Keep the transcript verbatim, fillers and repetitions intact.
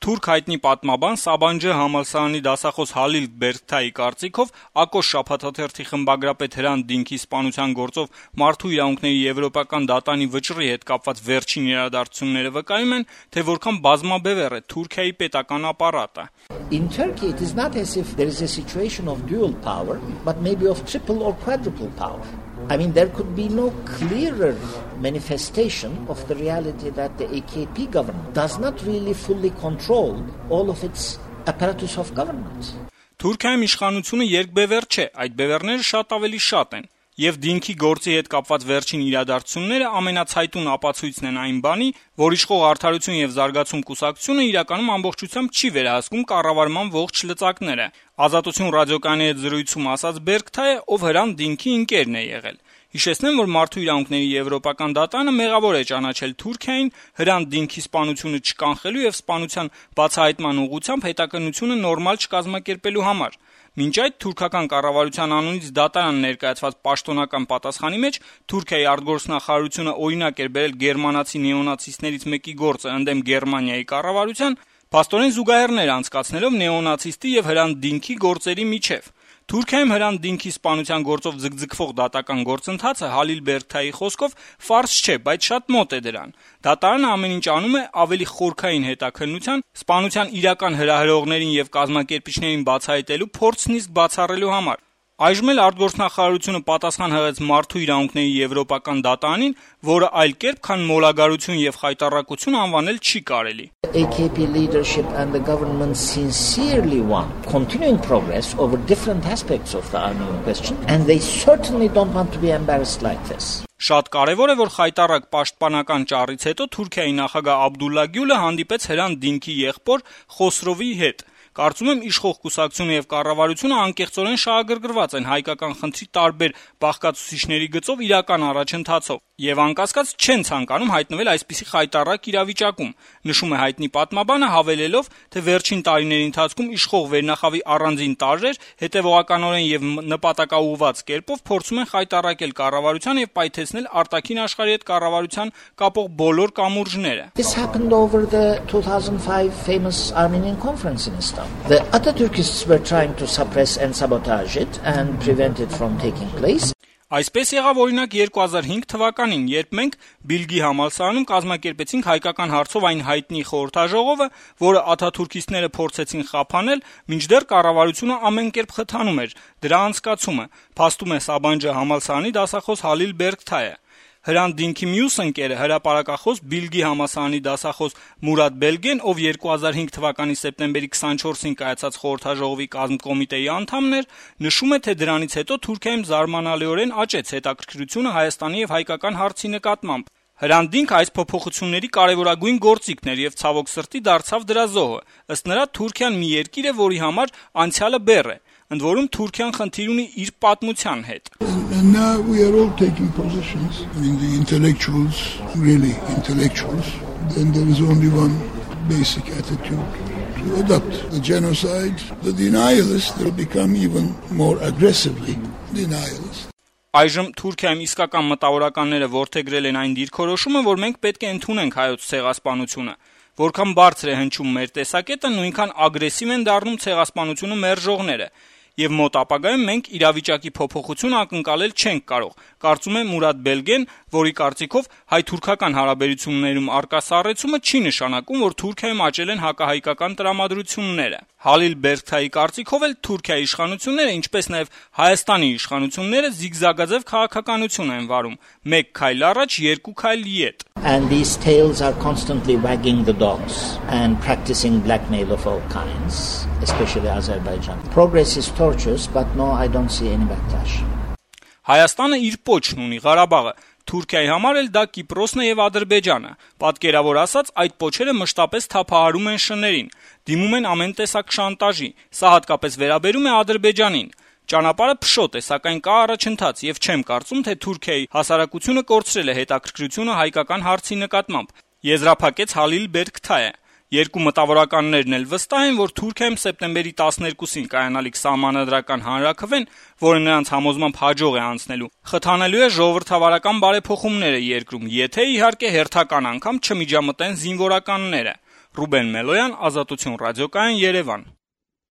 Թուրք հայտնի պատմաբան Սաբանջը համալսարանի դասախոս Հալիլ Բերքթայի կարծիքով Ակոշ շաբաթաթերթի խմբագրապետ Հրանտ Դինքի սպանության գործով մարդու իրավունքների եվրոպական դատանի վճռի հետ կապված վերջին իրադարձությունները վկայում են, թե որքան բազմաբևեռ է Թուրքիայի պետական ապարատը. In Turkey it is not as if there is a situation of dual power, but maybe of triple or quadruple power. I mean, there could be no clearer manifestation of the reality that the A K P government does not really fully control all of its apparatus of government. Թուրքիայում իշխանությունը երկբևեռ չէ, այդ բևեռները շատ ավելի շատ են. Եվ Դինքի գործի հետ կապված վերջին իրադարձությունները ամենացայտուն ապացույցն են այն բանի, որ իշխող Արդարություն եւ զարգացում կուսակցությունը իրականում ամբողջությամբ չի վերահսկում կառավարման ողջ լծակները. Ազատություն ռադիոկայանի հետ զրույցում ասաց Բերքթայը, ով Հրանտ Դինքի ընկերն է եղել. Հիշեցնեմ, որ մարդու իրավունքների եվրոպական դատանը մեղավոր է ճանաչել Թուրքիային Հրանտ Դինքի սպանությունը չկանխելու եւ սպանության բացահայտման ուղղությամբ հետաքննությունը նորմալ չկազմակերպելու համար. Մինչ այդ թուրքական կառավարության անունից դատարան ներկայացված պաշտոնական պատասխանի մեջ Թուրքիայի արտգործնախարարությունը օրինակ էր բերել գերմանացի նեոնացիստներից մեկի գործը ընդդեմ Գերմանիայի կառավարության, փաստորեն զուգահեռներ անցկացնելով նեոնացիստի եւ Հրանտ Դինքի գործերի միջև. Թուրքիայում Հրանտ Դինքի սպանության գործով ձգձգվող դատական գործընթացը Հալիլ Բերքթայի խոսքով ֆարս չէ, բայց շատ մոտ է դրան. Դատարանը ամեն ինչ անում է ավելի խորքային հետաքննության, սպանության իրական հրահրողներին եւ կազմակերպիչներին բացահայտելու փորձն իսկ բացառելու համար. Այժմ էլ արտգործնախարարությունը պատասխան հղեց մարդու իրավունքների եվրոպական դատարանին, որը այլ կերպ, քան մոլագարություն եւ խայտառակություն անվանել չի կարելի. A K P leadership and the government sincerely want continuing progress over different aspects of the Armenian question, and they certainly don't want to be embarrassed like this. Շատ կարևոր է, որ խայտառակ պաշտպանական ճառից հետո Թուրքիայի նախագահ Աբդուլլա Գյուլը հանդիպեց Հրանտ Դինքի եղբոր Խոսրովի հետ. Կարծում եմ իշխող կուսակցությունը եւ կառավարությունը անկեղծորեն շահագրգռված են հայկական խնդրի տարբեր բաղկացուցիչների գծով իրական առաջընթացով եւ անկասկած չեն ցանկանում հայտնվել այսպիսի խայտառակ իրավիճակում, նշում է հայտնի պատմաբանը, հավելելով, թե վերջին տարիների ընթացքում իշխող վերնախավի առանձին տարրեր հետեւողականորեն եւ նպատակաուղղված կերպով փորձում են խայտառակել կառավարության եւ պայթեցնել արտաքին աշխարհի հետ կառավարության կապող բոլոր կամուրջները. This happened over the two thousand five famous Armenian conference in Istanbul. The Atatürkists were trying to suppress and sabotage it and prevent it from taking place. Այսպես եղավ օրինակ երկու հազար հինգ թվականին, երբ մենք Բիլգի համալսարանում կազմակերպեցինք հայկական հարցով այն հայտնի խորհրդաժողովը, որը աթաթուրքիստները փորձեցին խափանել, մինչդեռ կառավարությունը ամեն կերպ խթանում էր դրա անցկացումը, փաստում է Սաբանջը համալսարանի դասախոս Հալիլ Բերքթայը. Հրանտ Դինքի մյուս ընկերը հրապարակախոս Բիլգի համալսարանի դասախոս Մուրադ Բելգեն, ով երկու հազար հինգ թվականի սեպտեմբերի քսանչորսին կայացած խորհրդաժողովի կազմկոմիտեի անդամն էր, նշում է, թե դրանից հետո Թուրքիայում զարմանալիորեն աճեց հետաքրքրությունը Հայաստանի եւ հայկական հարցի նկատմամբ. Հրանտ Դինքը այս փոփոխությունների կարևորագույն գործիքն էր եւ ցավոք սրտի դարձավ դրա զոհը. ըստ նրա Թուրքիան մի երկիր է, որի համար անցյալը բեռ է. ընդ որում Թուրքիան խնդիր ունի իր պատմության հետ. And now we are all taking positions. I mean, the intellectuals, really intellectuals, then there is only one basic attitude to adopt. The genocide, the denialists, they'll become even more aggressively denialists. Այժմ Թուրքիայում իսկական մտավորականները որդեգրել են այն դիրքորոշումը, որ մենք պետք է ընդունենք հայոց ցեղասպանությունը. Որքան բարձր է հնչում մեր տեսակետը, նույնքան ագրեսիվ են դառնում ցեղասպանությունը մերժողները. Եվ մոտ ապագայում մենք իրավիճակի փոփոխություն ակնկալել չենք կարող, կարծում է Մուրադ Բելգեն, որի կարծիքով հայ-թուրքական հարաբերություններում արկա սառեցումը չի նշանակում, որ Թուրքիայում աճել են հակահայկական տրամադրությունները. Հալիլ Բերքթայի կարծիքով էլ Թուրքիայի իշխանությունները, ինչպես նաև Հայաստանի իշխանությունները զիգզագաձև քաղաքականություն են վարում, մեկ քայլ առաջ, երկու քայլ ետ. And these tails are constantly wagging the dogs and practicing blackmail of all kinds, especially Azerbaijan. Progress is tortuous, but no, I don't see any backlash. Հայաստանը իր պոչն ունի, Ղարաբաղը, Թուրքիայի համար էլ դա Կիպրոսն է եւ Ադրբեջանը. Պատկերավոր ասած, այդ պոչերը մշտապես թափահարում են շներին, դիմում են ամեն տեսակ շանտաժի, սա հատկապես վերաբերում է Ադրբեջանին. Ճանապարհը փշոտ է, սակայն կա առաջընթաց եւ չեմ կարծում, թե Թուրքիայի հասարակությունը կորցրել է հետաքրքրությունը հայկական հարցի նկատմամբ, եզրափակեց Հալիլ Բերքթայը. Երկու մտավորականներն էլ վստահ են, որ Թուրքիայում սեպտեմբերի տասներկուսին կայանալիք սահմանադրական հանրաքվեն, որը նրանց համոզմամբ հաջող է անցնելու, խթանելու է ժողովրդավարական բարեփոխումները երկրում, եթե իհարկե հերթական անգամ չմիջամտեն զինվորականները. Ռուբեն Մելոյան, Ազատություն ռադիոկայան, Երևան։